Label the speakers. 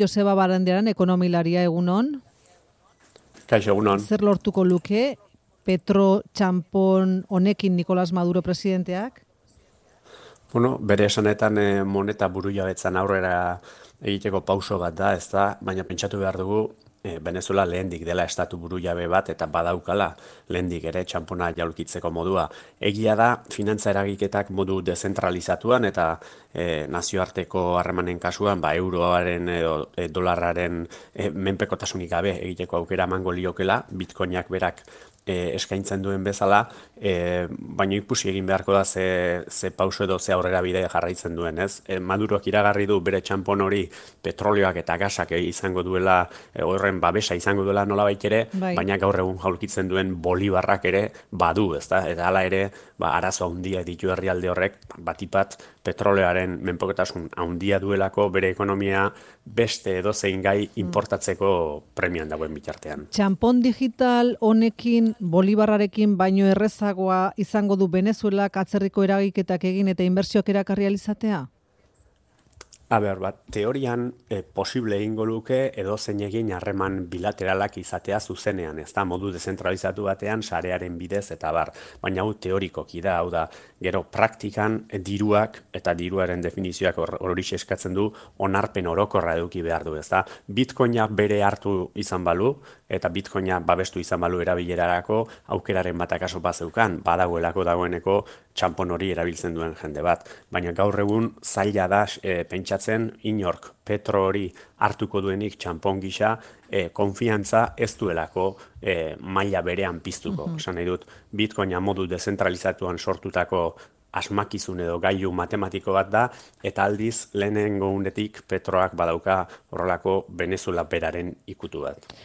Speaker 1: Joseba Barandiaran, ekonomilaria, egunon.
Speaker 2: Kaixo, egunon.
Speaker 1: Zer lortuko luke Petro txanpon honekin Nicolás Maduro presidenteak?
Speaker 2: Bueno, bere esanetan moneta burujabetzan aurrera egiteko pauso bat da, ez da, baina pentsatu behar dugu Venezuela lehendik dela estatu burujabe bat eta badaukala lehendik ere txanpona jaulkitzeko modua. Egia da, finantza eragiketak modu dezentralizatuan eta nazioarteko harremanen kasuan, euroaren edo dolarraren menpekotasunik gabe egiteko aukera emango liokela, bitcoinak berak eskaintzen duen bezala, baina ikusi egin beharko da ze pauso edo ze aurrera bide jarraitzen duen, ez? Maduroak iragarri du bere txanpon hori petrolioak eta gasak izango duela, horren babesa izango duela nolabait ere, baina gaur egun jaulkitzen duen bolibarrak ere badu, ezta? Eta hala ere, arazo handia ditu herrialde horrek, batipat petrolioaren menpekotasun handia duelako bere ekonomia beste edozein gai importatzeko premian dagoen bitartean.
Speaker 1: Txanpon digital honekin bolibarrarekin baino errezagoa izango du Venezuelak atzerriko eragiketak egin eta inbertsioak erakarri ahal izatea?
Speaker 2: Teorian posible egingo luke edozein egin harreman bilateralak izatea zuzenean, ez da, modu dezentralizatu batean sarearen bidez eta bar, baina hau teorikoki da, hau da, gero praktikan diruak eta diruaren definizioak hori eskatzen du onarpen orokorra eduki behar du, ez da, bitcoina bere hartu izan balu, eta bitcoina babestu izan balu erabilerarako aukeraren bat akaso bazeukan, badagoelako dagoeneko txanpon hori erabiltzen duen jende bat, baina gaur egun zaila da pentsatzen inork petro hori hartuko duenik txanpon gisa konfiantza ez duelako maila berean piztuko. Esan nahi dut, bitcoina modu dezentralizatuan sortutako asmakizun edo gailu matematiko bat da, eta aldiz lehenengo unetik petroak badauka horrelako Venezuela beraren ikutu bat.